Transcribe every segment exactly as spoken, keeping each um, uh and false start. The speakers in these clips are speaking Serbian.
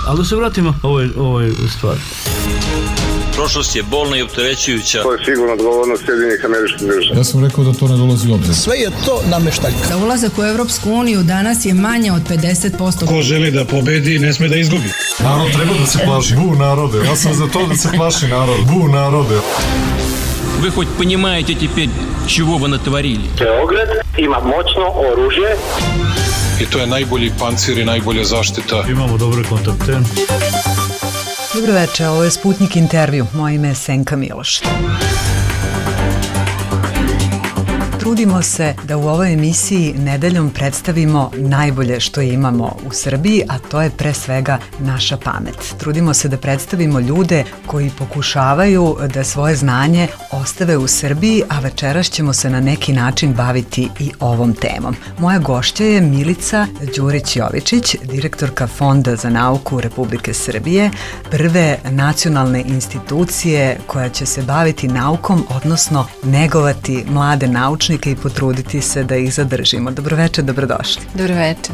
Ali da se vratimo ovoj, ovoj stvari. Prošlost je bolna i opterećujuća. To je sigurno odgovornost Sjedinjenih Američkih Država. Ja sam rekao da to ne dolazi u obzir. Sve je to nameštaljka. Za ulazak u Evropsku uniju danas je manje od pedeset posto. Ko želi da pobedi, ne sme da izgubi. Narod treba da se plaši. Bu narode. Ja sam za to da se plaši narod. Bu narode. Вы хоть понимаете теперь, чего вы натворили? Beograd ima moćno oružje. I to je najbolji pancir i najbolja zaštita. Imamo dobre kontakte. Dobro večer, ovo je Sputnik intervju. Moje ime je Senka Miloš. Trudimo se da u ovoj emisiji nedeljom predstavimo najbolje što imamo u Srbiji, a to je pre svega naša pamet. Trudimo se da predstavimo ljude koji pokušavaju da svoje znanje ostave u Srbiji, a večeras ćemo se na neki način baviti i ovom temom. Moja gošća je Milica Đurić-Jovičić, direktorka Fonda za nauku Republike Srbije, prve nacionalne institucije koja će se baviti naukom, odnosno negovati mlade naučnike i potruditi se da ih zadržimo. Dobroveče, dobrodošli. Dobroveče.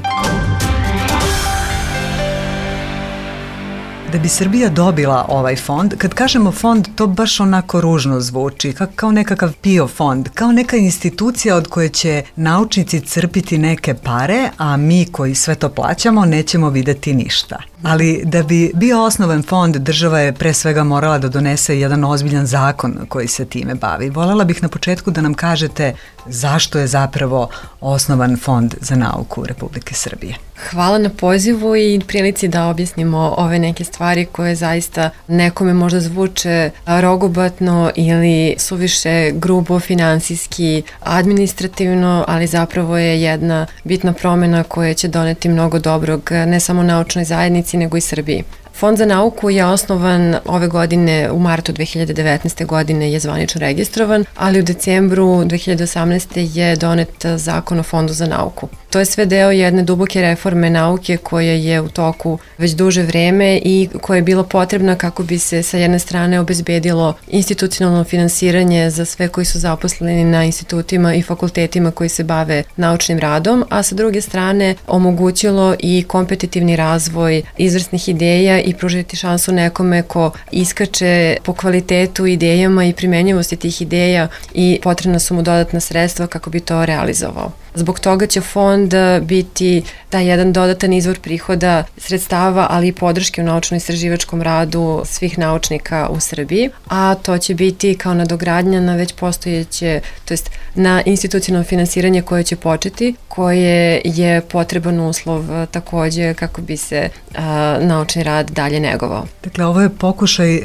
Da bi Srbija dobila ovaj fond, kad kažemo fond, to baš onako ružno zvuči, kao nekakav P I O fond, kao neka institucija od koje će naučnici crpiti neke pare, a mi koji sve to plaćamo nećemo videti ništa. Ali da bi bio osnovan fond, država je pre svega morala da donese jedan ozbiljan zakon koji se time bavi. Volela bih na početku da nam kažete zašto je zapravo osnovan Fond za nauku Republike Srbije. Hvala na pozivu i prilici da objasnimo ove neke stvari koje zaista nekome možda zvuče rogobatno ili suviše grubo, finansijski, administrativno, ali zapravo je jedna bitna promena koja će doneti mnogo dobrog ne samo naučnoj zajednici, nego i Srbiji. Fond za nauku je osnovan ove godine, u martu dve hiljade devetnaeste. godine je zvanično registrovan, ali u decembru dve hiljade osamnaeste. je donet zakon o Fondu za nauku. To je sve deo jedne duboke reforme nauke koja je u toku već duže vreme i koja je bila potrebna kako bi se sa jedne strane obezbedilo institucionalno finansiranje za sve koji su zaposleni na institutima i fakultetima koji se bave naučnim radom, a sa druge strane omogućilo i kompetitivni razvoj izvrsnih ideja i pružiti šansu nekome ko iskače po kvalitetu idejama i primenjivosti tih ideja i potrebna su mu dodatna sredstva kako bi to realizovao. Zbog toga će fond biti taj jedan dodatan izvor prihoda, sredstava, ali i podrške u naučno-istraživačkom radu svih naučnika u Srbiji, a to će biti kao nadogradnja na već postojeće, to jest na institucionalno finansiranje koje će početi, koje je potreban uslov takođe kako bi se a, naučni rad dalje negovao. Dakle, ovo je pokušaj,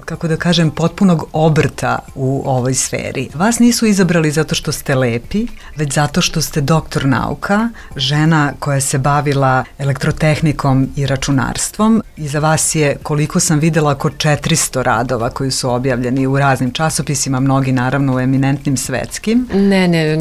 kako da kažem, potpunog obrta u ovoj sferi. Vas nisu izabrali zato što ste lepi, već zato što ste doktor nauka, žena koja se bavila elektrotehnikom i računarstvom. Iza vas je, koliko sam videla, oko četiristo radova koji su objavljeni u raznim časopisima, mnogi naravno u eminentnim svetskim. Ne, ne,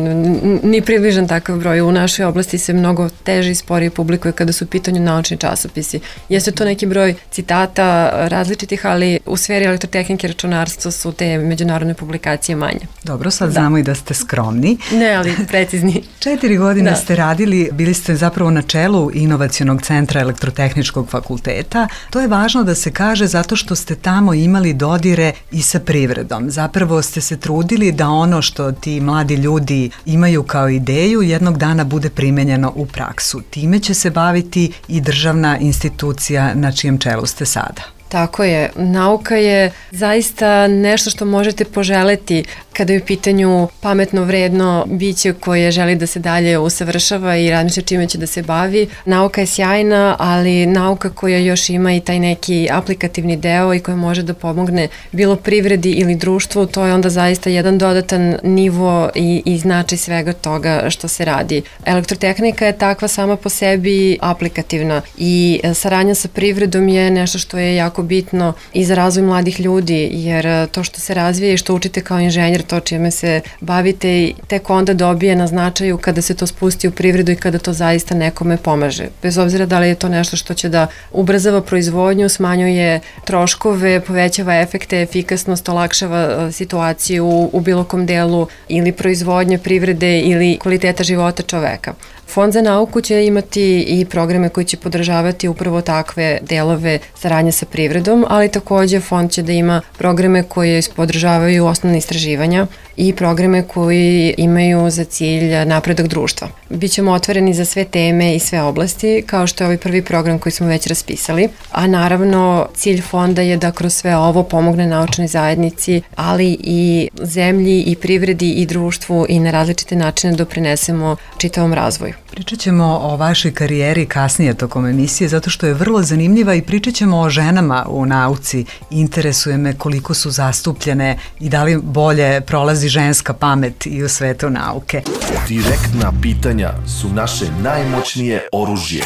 ni približan takav broj. U našoj oblasti se mnogo teže i sporije publikuje kada su u pitanju naučni časopisi. Jeste to neki broj citata različitih, ali u sferi elektrotehnike i računarstva su te međunarodne publikacije manje. Dobro, sad da. Znamo i da ste skromni. Ne, ali precizni. Četiri godine da. ste radili, bili ste zapravo na čelu Inovacionog centra Elektrotehničkog fakulteta. To je važno da se kaže zato što ste tamo imali dodire i sa privredom. Zapravo ste se trudili da ono što ti mladi ljudi imaju kao ideju jednog dana bude primenjeno u praksu. Time će se baviti i državna institucija na čijem čelu ste sada. Tako je. Nauka je zaista nešto što možete poželeti kada je u pitanju pametno, vredno biće koje želi da se dalje usavršava i razmišlja čime će da se bavi. Nauka je sjajna, ali nauka koja još ima i taj neki aplikativni deo i koja može da pomogne bilo privredi ili društvu, to je onda zaista jedan dodatan nivo i, i značaj svega toga što se radi. Elektrotehnika je takva sama po sebi aplikativna i saradnja sa privredom je nešto što je jako bitno i za razvoj mladih ljudi, jer to što se razvije i što učite kao inženjer, to čime se bavite, tek onda dobije na značaju kada se to spusti u privredu i kada to zaista nekome pomaže. Bez obzira da li je to nešto što će da ubrzava proizvodnju, smanjuje troškove, povećava efekte, efikasnost, olakšava situaciju u bilo kom delu ili proizvodnje, privrede ili kvaliteta života čoveka. Fond za nauku će imati i programe koji će podržavati upravo takve delove saradnje sa privredom, ali takođe fond će da ima programe koje podržavaju osnovne istraživanja i programe koji imaju za cilj napredak društva. Bićemo otvoreni za sve teme i sve oblasti, kao što je ovaj prvi program koji smo već raspisali, a naravno cilj fonda je da kroz sve ovo pomogne naučnoj zajednici, ali i zemlji i privredi i društvu i na različite načine doprinesemo čitavom razvoju. Pričat ćemo o vašoj karijeri kasnije tokom emisije, zato što je vrlo zanimljiva i pričat ćemo o ženama u nauci. Interesuje me koliko su zastupljene i da li bolje prolazi ženska pamet i u svetu nauke. Direktna pitanja su naše najmoćnije oružje.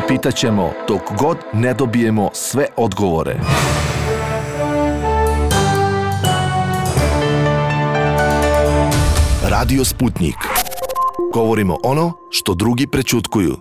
Pitaćemo dok god ne dobijemo sve odgovore. Radio Sputnik. Govorimo ono što drugi prećutkuju.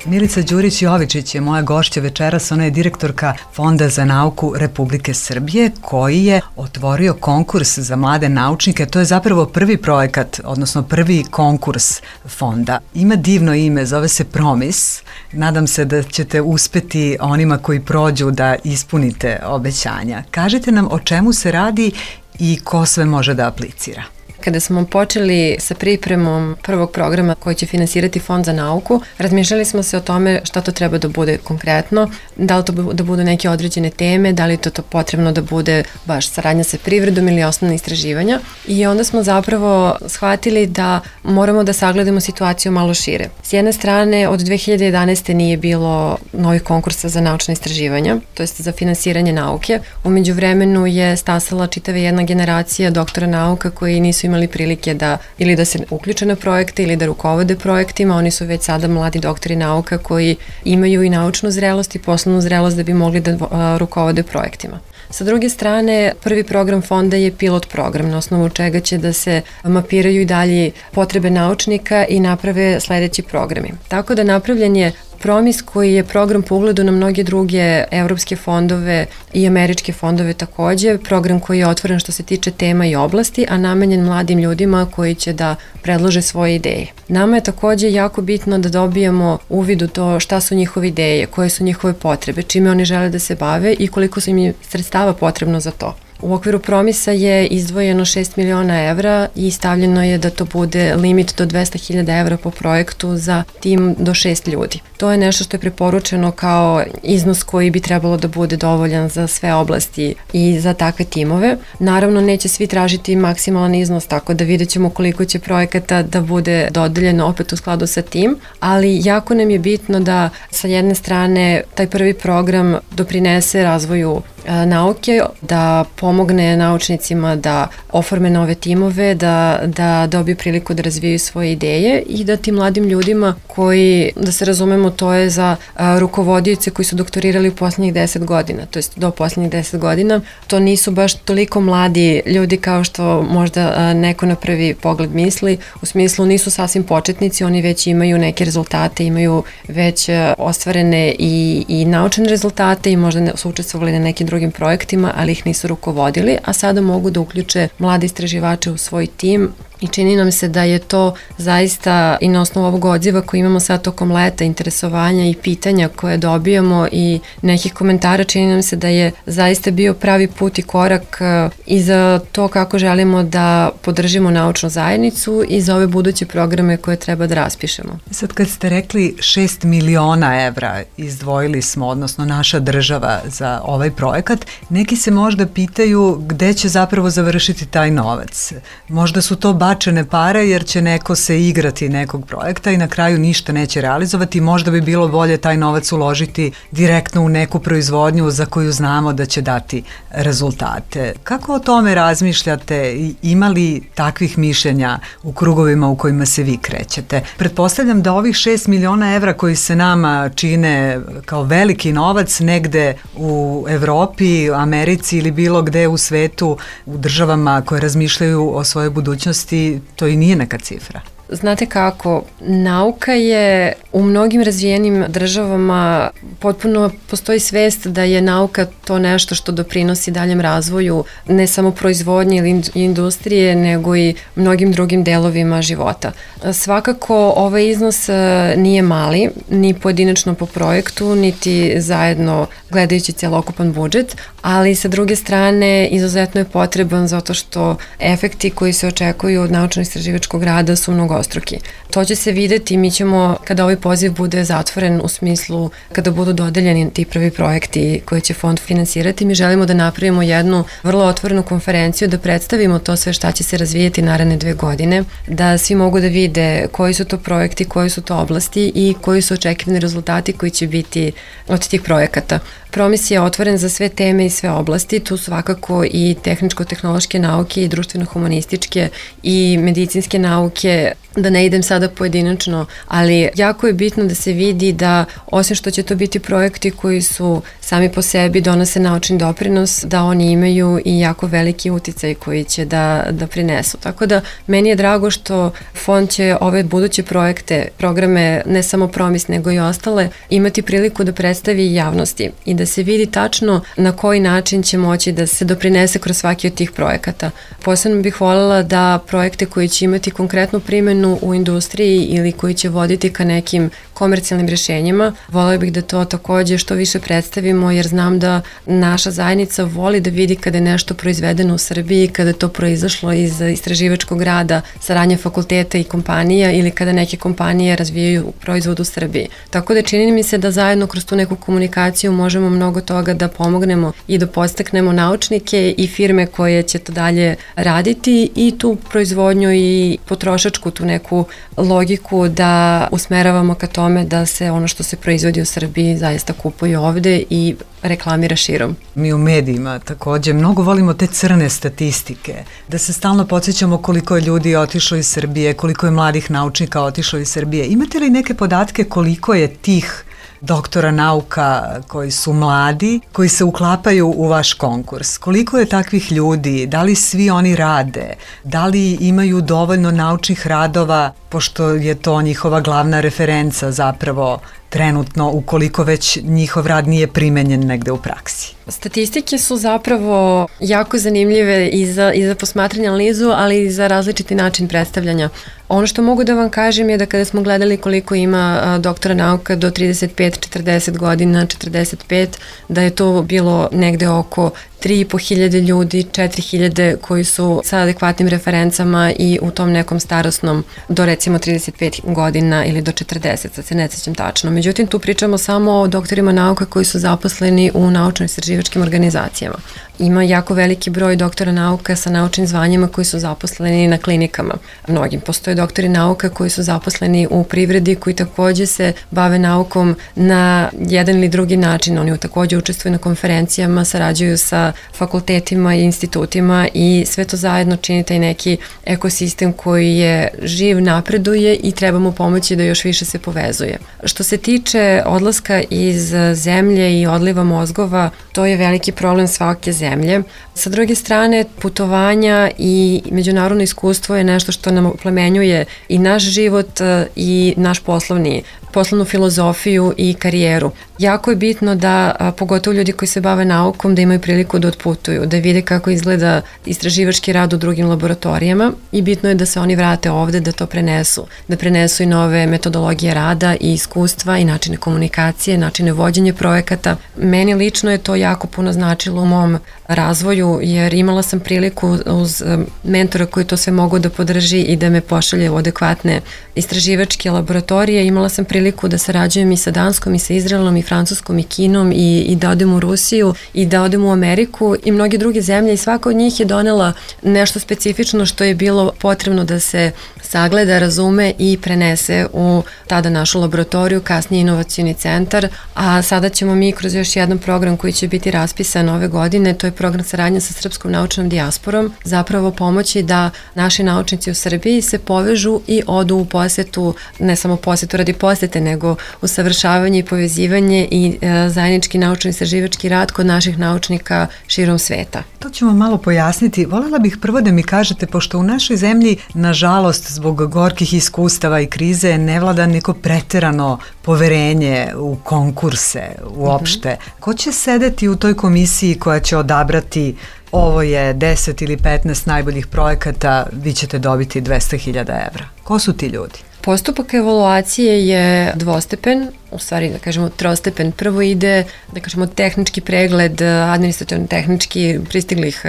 Milica Đurić-Jovičić je moja gošća večeras, ona je direktorka Fonda za nauku Republike Srbije koji je otvorio konkurs za mlade naučnike. To je zapravo prvi projekat, odnosno prvi konkurs fonda. Ima divno ime, zove se Promis. Nadam se da ćete uspeti onima koji prođu da ispunite obećanja. Kažite nam o čemu se radi i ko sve može da aplicira. Kada smo počeli sa pripremom prvog programa koji će finansirati Fond za nauku, razmišljali smo se o tome šta to treba da bude konkretno, da li to da budu neke određene teme, da li to, to potrebno da bude baš saradnja sa privredom ili osnovne istraživanja. I onda smo zapravo shvatili da moramo da sagledamo situaciju malo šire. S jedne strane, od dve hiljade jedanaeste. nije bilo novih konkursa za naučne istraživanja, to jest za finansiranje nauke. U međuvremenu je stasala čitava jedna generacija doktora nauka koji nisu imali prilike da ili da se uključe na projekte ili da rukovode projektima. Oni su već sada mladi doktori nauka koji imaju i naučnu zrelost i poslovnu zrelost da bi mogli da a, rukovode projektima. Sa druge strane, prvi program fonda je pilot program na osnovu čega će da se mapiraju i dalje potrebe naučnika i naprave sledeći programi. Tako da napravljen je Promis koji je program po ugledu na mnoge druge evropske fondove i američke fondove takođe, program koji je otvoren što se tiče tema i oblasti, a namenjen mladim ljudima koji će da predlože svoje ideje. Nama je takođe jako bitno da dobijemo uvid u to šta su njihove ideje, koje su njihove potrebe, čime oni žele da se bave i koliko su im sredstava potrebno za to. U okviru Promisa je izdvojeno šest miliona evra i stavljeno je da to bude limit do dvesta hiljada evra po projektu za tim do šest ljudi. To je nešto što je preporučeno kao iznos koji bi trebalo da bude dovoljan za sve oblasti i za takve timove. Naravno, neće svi tražiti maksimalan iznos, tako da vidjet ćemo koliko će projekata da bude dodeljeno opet u skladu sa tim, ali jako nam je bitno da sa jedne strane taj prvi program doprinese razvoju nauke, da pomogne naučnicima da oforme nove timove, da, da dobiju priliku da razvijaju svoje ideje i da tim mladim ljudima koji, da se razumemo, to je za a, rukovodioce koji su doktorirali u posljednjih deset godina, to jest do posljednjih deset godina, to nisu baš toliko mladi ljudi kao što možda a, neko na prvi pogled misli, u smislu nisu sasvim početnici, oni već imaju neke rezultate, imaju već a, ostvarene i, i naučene rezultate i možda su učestvovali na nekim drugim projektima, ali ih nisu rukovodili, a sada mogu da uključe mlade istraživače u svoj tim i čini nam se da je to zaista i na osnovu ovog odziva koji imamo sad tokom leta, interesovanja i pitanja koje dobijamo i nekih komentara, čini nam se da je zaista bio pravi put i korak i za to kako želimo da podržimo naučnu zajednicu i za ove buduće programe koje treba da raspišemo. Sad kad ste rekli šest miliona evra izdvojili smo, odnosno naša država za ovaj projekat, neki se možda pitaju gde će zapravo završiti taj novac. Možda su to bačene pare jer će neko se igrati nekog projekta i na kraju ništa neće realizovati. Možda bi bilo bolje taj novac uložiti direktno u neku proizvodnju za koju znamo da će dati rezultate. Kako o tome razmišljate? Ima li takvih mišljenja u krugovima u kojima se vi krećete? Pretpostavljam da ovih šest miliona evra koji se nama čine kao veliki novac negde u Evropi, Americi ili bilo gde u svetu, u državama koje razmišljaju o svojoj budućnosti, to i nije neka cifra. Znate kako, nauka je u mnogim razvijenim državama potpuno postoji svest da je nauka to nešto što doprinosi daljem razvoju ne samo proizvodnje ili industrije, nego i mnogim drugim delovima života. Svakako ovaj iznos nije mali, ni pojedinačno po projektu, niti zajedno gledajući celokupan budžet, ali sa druge strane izuzetno je potreban zato što efekti koji se očekuju od naučno-istraživačkog rada su mnogostruki. To će se videti, mi ćemo, kada ovaj poziv bude zatvoren u smislu kada budu dodeljeni ti prvi projekti koje će fond finansirati, mi želimo da napravimo jednu vrlo otvorenu konferenciju, da predstavimo to sve šta će se razvijeti naredne dve godine, da svi mogu da vide koji su to projekti, koji su to oblasti i koji su očekivani rezultati koji će biti od tih projekata. Promis je otvoren za sve teme i sve oblasti, tu svakako i tehničko-tehnološke nauke i društveno-humanističke i medicinske nauke, da ne idem sada pojedinačno, ali jako je bitno da se vidi da osim što će to biti projekti koji su sami po sebi donose naučni doprinos, da oni imaju i jako veliki uticaj koji će da, da prinesu. Tako da meni je drago što fond će ove buduće projekte, programe, ne samo Promis nego i ostale, imati priliku da predstavi javnosti i da se vidi tačno na koji način će moći da se doprinese kroz svaki od tih projekata. Posebno bih voljela da projekte koji će imati konkretnu primjenu u industriji ili koji će voditi ka nekim komercijalnim rješenjima, voljela bih da to takođe što više predstavimo, jer znam da naša zajednica voli da vidi kada je nešto proizvedeno u Srbiji, kada je to proizašlo iz istraživačkog rada, saradnje fakulteta i kompanija ili kada neke kompanije razvijaju proizvod u Srbiji. Tako da čini mi se da zajedno kroz tu neku komunikaciju možemo mnogo toga da pomognemo i da podstaknemo naučnike i firme koje će to dalje raditi i tu proizvodnju i potrošačku tu neku logiku da usmeravamo ka tome da se ono što se proizvodi u Srbiji zaista kupuje ovde i reklamira širom. Mi u medijima takođe mnogo volimo te crne statistike, da se stalno podsjećamo koliko je ljudi otišlo iz Srbije, koliko je mladih naučnika otišlo iz Srbije. Imate li neke podatke koliko je tih doktora nauka koji su mladi, koji se uklapaju u vaš konkurs? Koliko je takvih ljudi? Da li svi oni rade? Da li imaju dovoljno naučnih radova, pošto je to njihova glavna referenca zapravo trenutno, ukoliko već njihov rad nije primenjen negde u praksi? Statistike su zapravo jako zanimljive i za, i za posmatranje analizu, ali i za različiti način predstavljanja. Ono što mogu da vam kažem je da kada smo gledali koliko ima a, doktora nauka do trideset pet četrdeset godina, četrdeset pet, da je to bilo negde oko tri i po hiljade ljudi, četiri hiljade koji su sa adekvatnim referencama i u tom nekom starosnom do recimo trideset pet godina ili do četrdeset, sad se ne sećam tačno. Međutim, tu pričamo samo o doktorima nauka koji su zaposleni u naučno-istraživačkim organizacijama. Ima jako veliki broj doktora nauka sa naučnim zvanjima koji su zaposleni na klinikama. Mnogim postoje doktori nauka koji su zaposleni u privredi, koji takođe se bave naukom na jedan ili drugi način. Oni takođe učestvuju na konferencijama, sarađuju sa fakultetima i institutima i sve to zajedno čini taj neki ekosistem koji je živ, napreduje i treba mu pomoći da još više se povezuje. Što se tiče odlaska iz zemlje i odliva mozgova, to je veliki problem svake zemlje. Sa druge strane, putovanja i međunarodno iskustvo je nešto što nam oplemenjuje i naš život i naš poslovni poslovnu filozofiju i karijeru. Jako je bitno da, a, pogotovo ljudi koji se bave naukom, da imaju priliku da otputuju, da vide kako izgleda istraživački rad u drugim laboratorijama i bitno je da se oni vrate ovde, da to prenesu, da prenesu i nove metodologije rada i iskustva i načine komunikacije, načine vođenja projekata. Meni lično je to jako puno značilo u mom razvoju, jer imala sam priliku uz mentora koji to sve mogu da podrži i da me pošalje u adekvatne istraživačke laboratorije. Imala sam priliku da sarađujem i sa Danskom i sa Izraelom i Francuskom i Kinom i, i da odem u Rusiju i da odem u Ameriku i mnoge druge zemlje i svaka od njih je donela nešto specifično što je bilo potrebno da se sagleda, razume i prenese u tada našu laboratoriju, kasnije inovacioni centar, a sada ćemo mi kroz još jedan program koji će biti raspisan ove godine, to je program saradnje sa srpskom naučnom dijasporom zapravo pomoći da naši naučnici u Srbiji se povežu i odu u posetu, ne samo posetu radi posete, nego usavršavanje i povezivanje i e, zajednički naučno-istraživački rad kod naših naučnika širom sveta. To ćemo malo pojasniti. Volela bih prvo da mi kažete, pošto u našoj zemlji, nažalost, zbog gorkih iskustava i krize, ne vlada neko preterano poverenje u konkurse uopšte. Mm-hmm. Ko će sedeti u toj komisiji koja će odabrati ovo je deset ili petnaest najboljih projekata, vi ćete dobiti dvesta hiljada evra? Ko su ti ljudi? Postupak evaluacije je dvostepen, u stvari da kažemo trostepen. Prvo ide, da kažemo, tehnički pregled, administrativno-tehnički pristiglih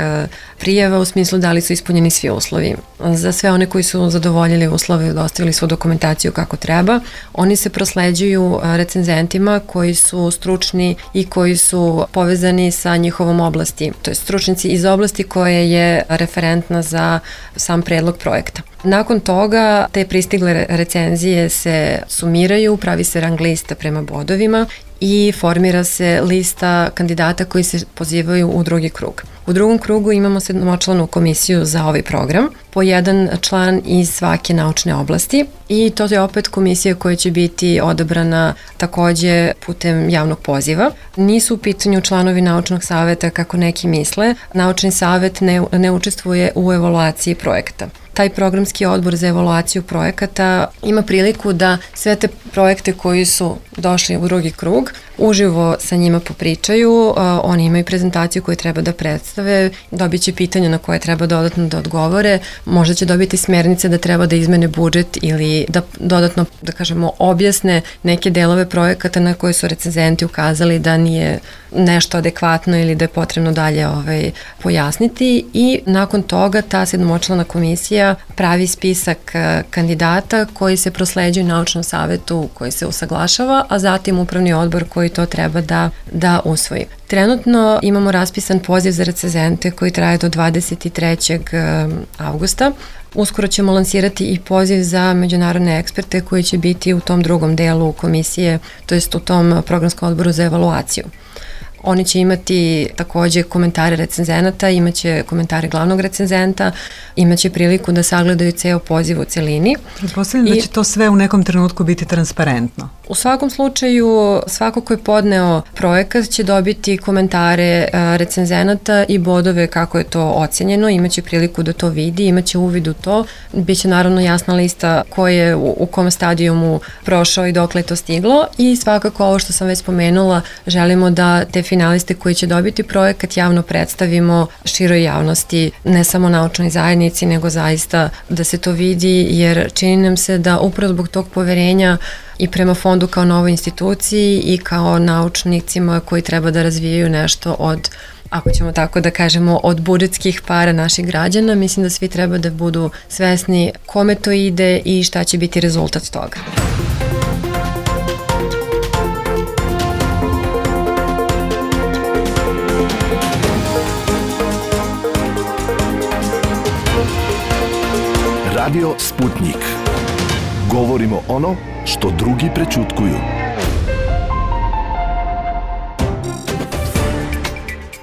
prijava u smislu da li su ispunjeni svi uslovi. Za sve one koji su zadovoljili uslove i dostavili svu dokumentaciju kako treba, oni se prosleđuju recenzentima koji su stručni i koji su povezani sa njihovom oblasti, to je stručnici iz oblasti koje je referentna za sam predlog projekta. Nakon toga te pristigle recenzije se sumiraju, pravi se rang lista prema bodovima i formira se lista kandidata koji se pozivaju u drugi krug. U drugom krugu imamo sedmočlanu komisiju za ovaj program, po jedan član iz svake naučne oblasti i to je opet komisija koja će biti odabrana takođe putem javnog poziva. Nisu u pitanju članovi naučnog saveta kako neki misle, naučni savet ne, ne učestvuje u evaluaciji projekta. Taj programski odbor za evaluaciju projekata ima priliku da sve te projekte koji su došli u drugi krug uživo sa njima popričaju, oni imaju prezentaciju koju treba da predstave, dobit će pitanja na koje treba dodatno da odgovore, možda će dobiti smernice da treba da izmene budžet ili da dodatno, da kažemo, objasne neke delove projekata na koje su recenzenti ukazali da nije nešto adekvatno ili da je potrebno dalje ovaj, pojasniti i nakon toga ta sedmočlana komisija pravi spisak kandidata koji se prosleđuju naučnom savetu koji se usaglašava, a zatim upravni odbor koji to treba da, da usvoji. Trenutno imamo raspisan poziv za recenzente koji traje do dvadeset trećeg avgusta. Uskoro ćemo lansirati i poziv za međunarodne eksperte koji će biti u tom drugom delu komisije, to jest u tom programskom odboru za evaluaciju. Oni će imati takođe komentare recenzenata, imaće komentare glavnog recenzenta, imaće priliku da sagledaju ceo poziv u celini. Pretpostavljam da će to sve u nekom trenutku biti transparentno. U svakom slučaju, svako ko je podneo projekat će dobiti komentare recenzenata i bodove kako je to ocenjeno, imaće priliku da to vidi, imaće uvid u to, biće naravno jasna lista ko je u, u kom stadijumu prošao i dokle je to stiglo i svakako ovo što sam već spomenula, želimo da te finaliste koji će dobiti projekat javno predstavimo široj javnosti, ne samo naučnoj zajednici, nego zaista da se to vidi, jer čini nam se da upravo zbog tog poverenja i prema fondu kao novoj instituciji i kao naučnicima koji treba da razvijaju nešto od, ako ćemo tako da kažemo, od budžetskih para naših građana, mislim da svi treba da budu svesni kome to ide i šta će biti rezultat toga. Radio Sputnik. Govorimo ono što drugi prećutkuju.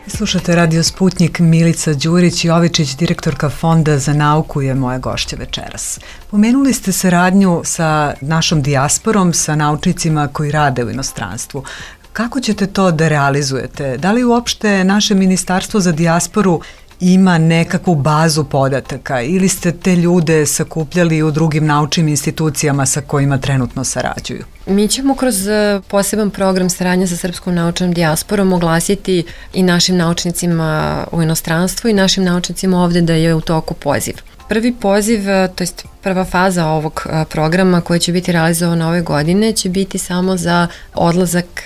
Slušate Radio Sputnik, Milica Đurić Jovičić, direktorka Fonda za nauku, je moja gošća večeras. Pomenuli ste saradnju sa našom dijasporom, sa naučnicima koji rade u inostranstvu. Kako ćete to da realizujete? Da li uopšte naše Ministarstvo za dijasporu ima nekakvu bazu podataka ili ste te ljude sakupljali u drugim naučnim institucijama sa kojima trenutno sarađuju? Mi ćemo kroz poseban program saradnje sa srpskom naučnom dijasporom oglasiti i našim naučnicima u inostranstvu i našim naučnicima ovde da je u toku poziv. Prvi poziv, to jest prva faza ovog programa koja će biti realizovana ove godine će biti samo za odlazak,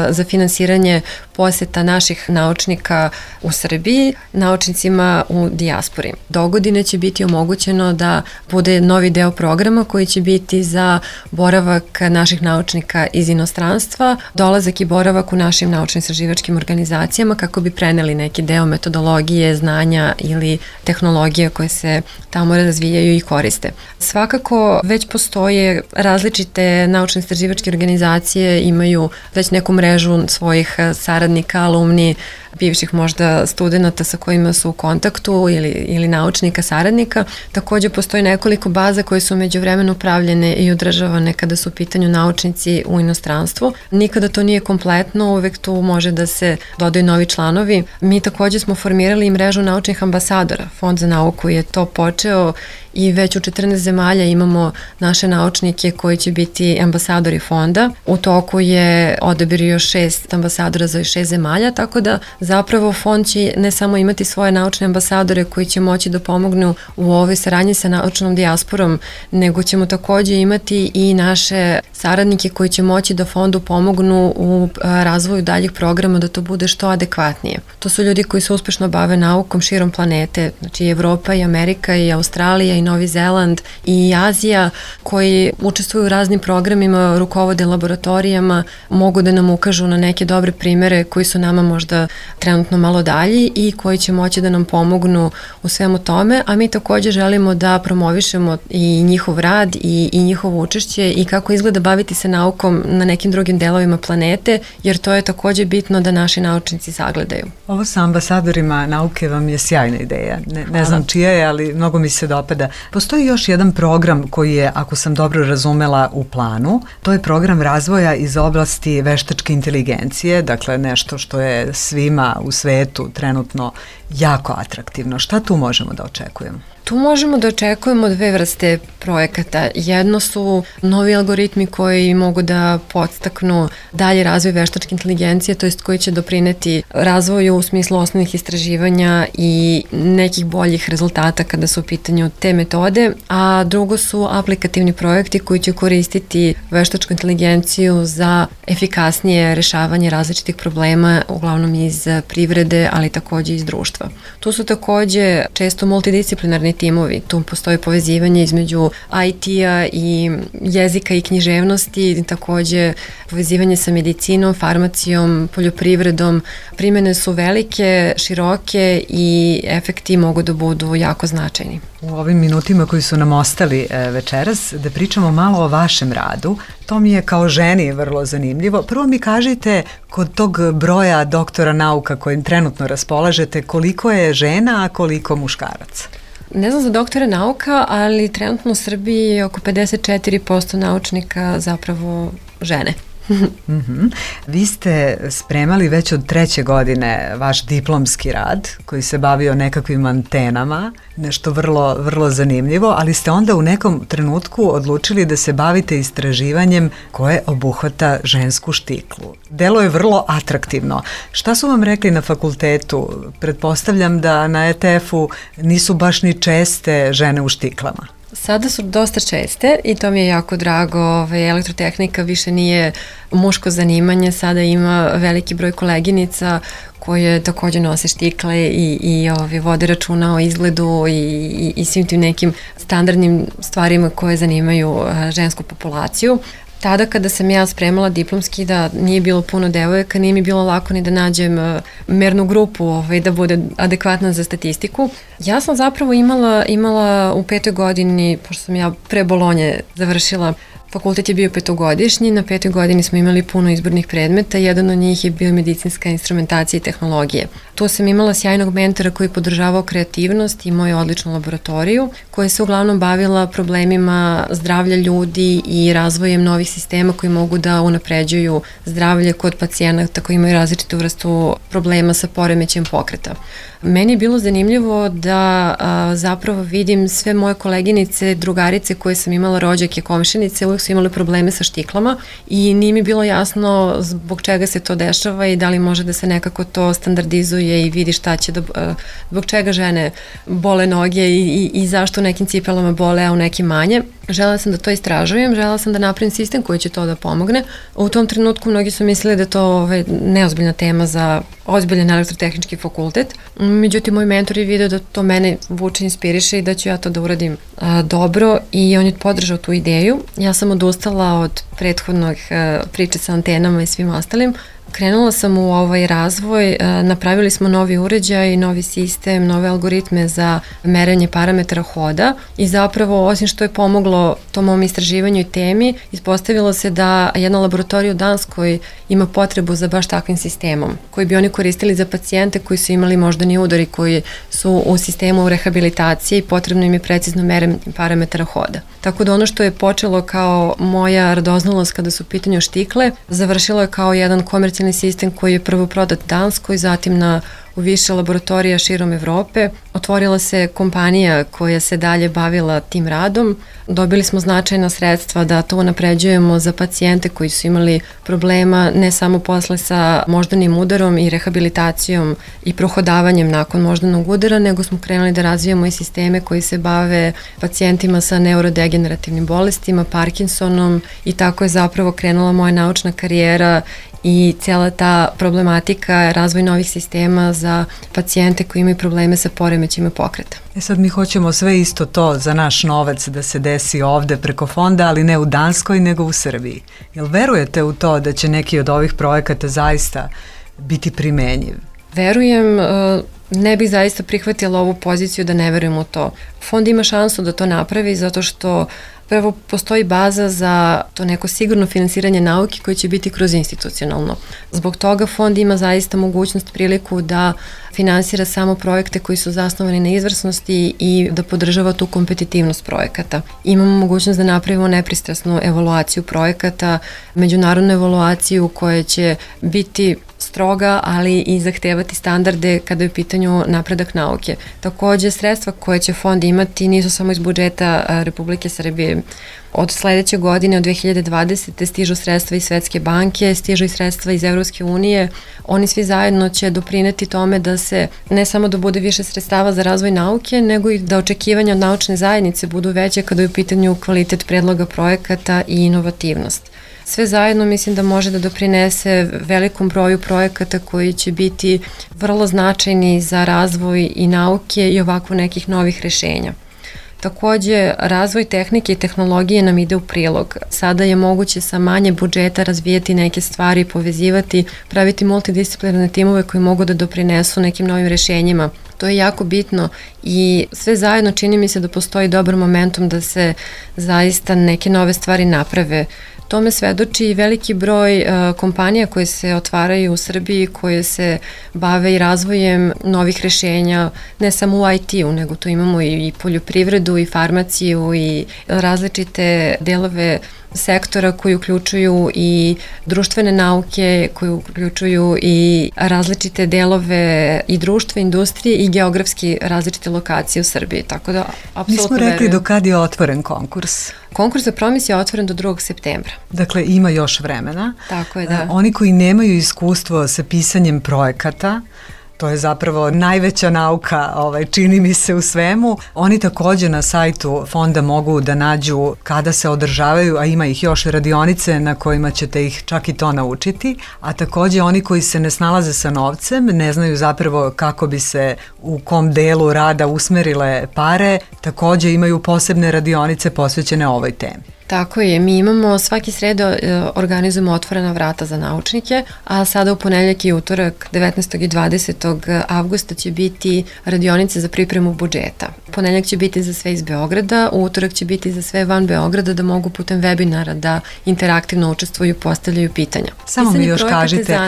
za finansiranje poseta naših naučnika u Srbiji, naučnicima u dijaspori. Do godine će biti omogućeno da bude novi deo programa koji će biti za boravak naših naučnika iz inostranstva, dolazak i boravak u našim naučno-istraživačkim organizacijama kako bi preneli neki deo metodologije, znanja ili tehnologije koje se tamo razvijaju i koriste. Svakako već postoje različite naučno-istraživačke organizacije, imaju već neku mrežu svojih saradnika, alumni bivših možda studenta sa kojima su u kontaktu ili, ili naučnika, saradnika. Takođe postoji nekoliko baza koje su među vremenu pravljene i održavane kada su u pitanju naučnici u inostranstvu. Nikada to nije kompletno, uvek tu može da se dodaju novi članovi. Mi takođe smo formirali i mrežu naučnih ambasadora. Fond za nauku je to počeo i već u četrnaest zemalja imamo naše naučnike koji će biti ambasadori fonda. U toku je odabir još šest ambasadora za šest zemalja, tako da zapravo fond će ne samo imati svoje naučne ambasadore koji će moći da pomognu u ovoj saradnji sa naučnom dijasporom, nego ćemo takođe imati i naše saradnike koji će moći da fondu pomognu u razvoju daljih programa da to bude što adekvatnije. To su ljudi koji se uspešno bave naukom širom planete, znači i Evropa i Amerika i Australija i Novi Zeland i Azija, koji učestvuju u raznim programima, rukovode laboratorijama, mogu da nam ukažu na neke dobre primere koji su nama možda trenutno malo dalji i koji će moći da nam pomognu u svemu tome, a mi takođe želimo da promovišemo i njihov rad i, i njihovo učešće i kako izgleda baviti se naukom na nekim drugim delovima planete, jer to je takođe bitno da naši naučnici sagledaju. Ovo sa ambasadorima nauke vam je sjajna ideja. Ne, ne znam čija je, ali mnogo mi se dopada. Postoji još jedan program koji je, ako sam dobro razumela, u planu. To je program razvoja iz oblasti veštačke inteligencije, dakle nešto što je svima u svetu trenutno jako atraktivno. Šta tu možemo da očekujemo? Tu možemo da očekujemo dve vrste projekata. Jedno su novi algoritmi koji mogu da podstaknu dalje razvoj veštačke inteligencije, to jest koji će doprineti razvoju u smislu osnovnih istraživanja i nekih boljih rezultata kada su u pitanju te metode, a drugo su aplikativni projekti koji će koristiti veštačku inteligenciju za efikasnije rešavanje različitih problema, uglavnom iz privrede, ali takođe iz društva. Tu su takođe često multidisciplinarni timovi, tu postoji povezivanje između I T-a i jezika i književnosti, takođe povezivanje sa medicinom, farmacijom, poljoprivredom. Primene su velike, široke i efekti mogu da budu jako značajni. U ovim minutima koji su nam ostali večeras, da pričamo malo o vašem radu. To mi je kao ženi vrlo zanimljivo. Prvo mi kažite, kod tog broja doktora nauka kojim trenutno raspolažete, koliko je žena, a koliko muškaraca? Ne znam za doktore nauka, ali trenutno u Srbiji je oko pedeset četiri posto naučnika zapravo žene. Mm-hmm. Vi ste spremali već od treće godine vaš diplomski rad koji se bavio nekakvim antenama, nešto vrlo, vrlo zanimljivo, ali ste onda u nekom trenutku odlučili da se bavite istraživanjem koje obuhvata žensku štiklu. Delo je vrlo atraktivno. Šta su vam rekli na fakultetu? Pretpostavljam da na E T F-u nisu baš ni česte žene u štiklama. Sada su dosta česte i to mi je jako drago. Ove, elektrotehnika više nije muško zanimanje, sada ima veliki broj koleginica koje takođe nose štikle i, i ove, vode računa o izgledu i, i, i svim tim nekim standardnim stvarima koje zanimaju žensku populaciju. Tada kada sam ja spremala diplomski, da nije bilo puno devojaka, nije mi bilo lako ni da nađem mernu grupu ovaj, da bude adekvatna za statistiku. Ja sam zapravo imala, imala u petoj godini, pošto sam ja pre Bolonje završila, fakultet je bio petogodišnji, na petoj godini smo imali puno izbornih predmeta, jedan od njih je bio medicinska instrumentacija i tehnologije. Tu sam imala sjajnog mentora koji je podržavao kreativnost i moju odličnu laboratoriju, koja se uglavnom bavila problemima zdravlja ljudi i razvojem novih sistema koji mogu da unapređuju zdravlje kod pacijenata koji imaju različitu vrstu problema sa poremećajem pokreta. Meni je bilo zanimljivo da a, zapravo vidim sve moje koleginice, drugarice koje sam imala, rođake, komšinice, uvijek su imali probleme sa štiklama i nije mi bilo jasno zbog čega se to dešava i da li može da se nekako to standardizuje i vidi šta će da, a, zbog čega žene bole noge i, i, i zašto u nekim cipelama bole, a u nekim manje. Želela sam da to istražujem, želela sam da napravim sistem koji će to da pomogne. U tom trenutku mnogi su mislili da je to ovaj, neozbiljna tema za ozbiljan elektrotehnički fakultet. Međutim, moj mentor je video da to mene vuče, inspiriše i da ću ja to da uradim a, dobro i on je podržao tu ideju. Ja sam odustala od prethodnog a, priče sa antenama i svim ostalim, Krenula sam u ovaj razvoj, napravili smo novi uređaj, novi sistem, nove algoritme za merenje parametara hoda i zapravo osim što je pomoglo tom mom istraživanju i temi, ispostavilo se da jedna laboratorija u Danskoj ima potrebu za baš takvim sistemom koji bi oni koristili za pacijente koji su imali moždani udar i koji su u sistemu rehabilitacije i potrebno im je precizno merenje parametara hoda. Tako da ono što je počelo kao moja radoznalost kada su u pitanju štikle, završilo je kao jedan komercijalni sistem koji je prvo prodat Danskoj, zatim na u više laboratorija širom Evrope. Otvorila se kompanija koja se dalje bavila tim radom. Dobili smo značajna sredstva da to unapređujemo za pacijente koji su imali problema ne samo posle sa moždanim udarom i rehabilitacijom i prohodavanjem nakon moždanog udara, nego smo krenuli da razvijamo i sisteme koji se bave pacijentima sa neurodegenerativnim bolestima, Parkinsonom i tako je zapravo krenula moja naučna karijera i cijela ta problematika razvoj novih sistema za pacijente koji imaju probleme sa poremećima pokreta. E sad mi hoćemo sve isto to za naš novac da se desi ovde preko fonda, ali ne u Danskoj nego u Srbiji. Jel verujete u to da će neki od ovih projekata zaista biti primenjiv? Verujem, ne bih zaista prihvatila ovu poziciju da ne verujem u to. Fond ima šansu da to napravi zato što prvo postoji baza za to neko sigurno finansiranje nauke koje će biti kroz institucionalno. Zbog toga fond ima zaista mogućnost, priliku da finansira samo projekte koji su zasnovani na izvrsnosti i da podržava tu kompetitivnost projekata. Imamo mogućnost da napravimo nepristrasnu evaluaciju projekata, međunarodnu evaluaciju koja će biti stroga, ali i zahtevati standarde kada je u pitanju napredak nauke. Takođe, sredstva koje će fond imati nisu samo iz budžeta Republike Srbije. Od sledeće godine, od dve hiljade dvadesete. stižu sredstva iz Svetske banke, stižu i sredstva iz Evropske unije. Oni svi zajedno će doprineti tome da se ne samo da bude više sredstava za razvoj nauke, nego i da očekivanja od naučne zajednice budu veće kada je u pitanju kvalitet predloga projekata i inovativnost. Sve zajedno mislim da može da doprinese velikom broju projekata koji će biti vrlo značajni za razvoj i nauke i ovako nekih novih rešenja. Takođe, razvoj tehnike i tehnologije nam ide u prilog. Sada je moguće sa manje budžeta razvijati neke stvari, povezivati, praviti multidisciplinarne timove koji mogu da doprinesu nekim novim rešenjima. To je jako bitno i sve zajedno čini mi se da postoji dobar momentum da se zaista neke nove stvari naprave. Tome svedoči i veliki broj uh, kompanija koje se otvaraju u Srbiji, koje se bave i razvojem novih rešenja, ne samo u I T-u, nego tu imamo i, i poljoprivredu, i farmaciju, i različite delove sektora koji uključuju i društvene nauke, koji uključuju i različite delove i društva, industrije i geografski različite lokacije u Srbiji. Tako da, apsolutno nismo rekli verujem. Do kad je otvoren konkurs? Konkurs za Promis je otvoren do drugog septembra. Dakle, ima još vremena. Tako je, da. Oni koji nemaju iskustvo sa pisanjem projekata, to je zapravo najveća nauka, ovaj, čini mi se u svemu. Oni takođe na sajtu fonda mogu da nađu kada se održavaju, a ima ih još radionice na kojima ćete ih čak i to naučiti, a takođe oni koji se ne snalaze sa novcem, ne znaju zapravo kako bi se u kom delu rada usmerile pare, takođe imaju posebne radionice posvećene ovoj temi. Tako je, mi imamo svaki sredo organizujemo otvorena vrata za naučnike, a sada u ponedeljak i utorak devetnaestog i dvadesetog avgusta će biti radionice za pripremu budžeta. Ponedeljak će biti za sve iz Beograda, u utorak će biti za sve van Beograda da mogu putem webinara da interaktivno učestvuju, postavljaju pitanja. Samo mi još kažite,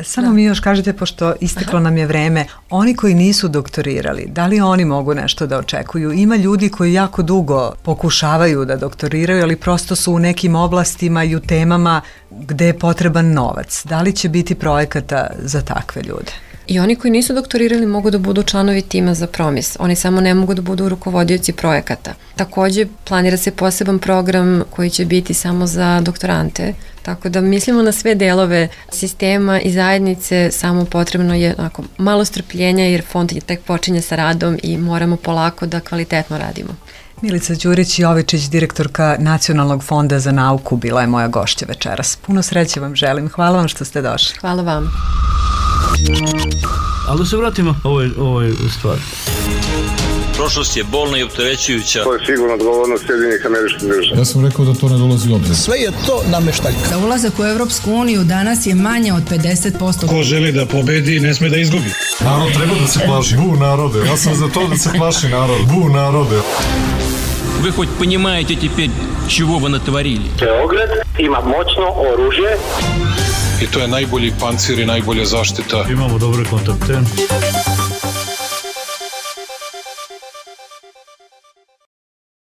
samo da. mi još kažite, pošto isteklo Aha. nam je vreme, oni koji nisu doktorirali, da li oni mogu nešto da očekuju? Ima ljudi koji jako dugo pokušavaju da doktoriraju, ali prosto su u nekim oblastima i u temama gde je potreban novac. Da li će biti projekata za takve ljude? I oni koji nisu doktorirali mogu da budu članovi tima za Promis. Oni samo ne mogu da budu rukovodioci projekata. Takođe, planira se poseban program koji će biti samo za doktorante. Tako da mislimo na sve delove sistema i zajednice, samo potrebno je onako, malo strpljenja jer fond tek počinje sa radom i moramo polako da kvalitetno radimo. Milica Đurić-Jovičić, direktorka Nacionalnog fonda za nauku, bila je moja gošća večeras. Puno sreće vam želim. Hvala vam što ste došli. Hvala vam. Ali da se vratimo ovoj, ovoj stvari. prošlost je bolna i opterećujuća. To je sigurno odgovornost Sjedinjenih Američkih Država. Ja sam rekao da to ne dolazi u obzir. Sve je to nameštaljka. Za ulazak u Evropsku uniju danas je manje od pedeset posto. Ko želi da pobedi, ne sme da izgubi. Narod treba da se plaši. Bu narode. Ja sam za to da se plaši narod. Bu narode. Вы хоть понимаете теперь, чего вы натворили? Beograd ima moćno oružje. I to je najbolji pancir i najbolja zaštita. Imamo dobre kontakte.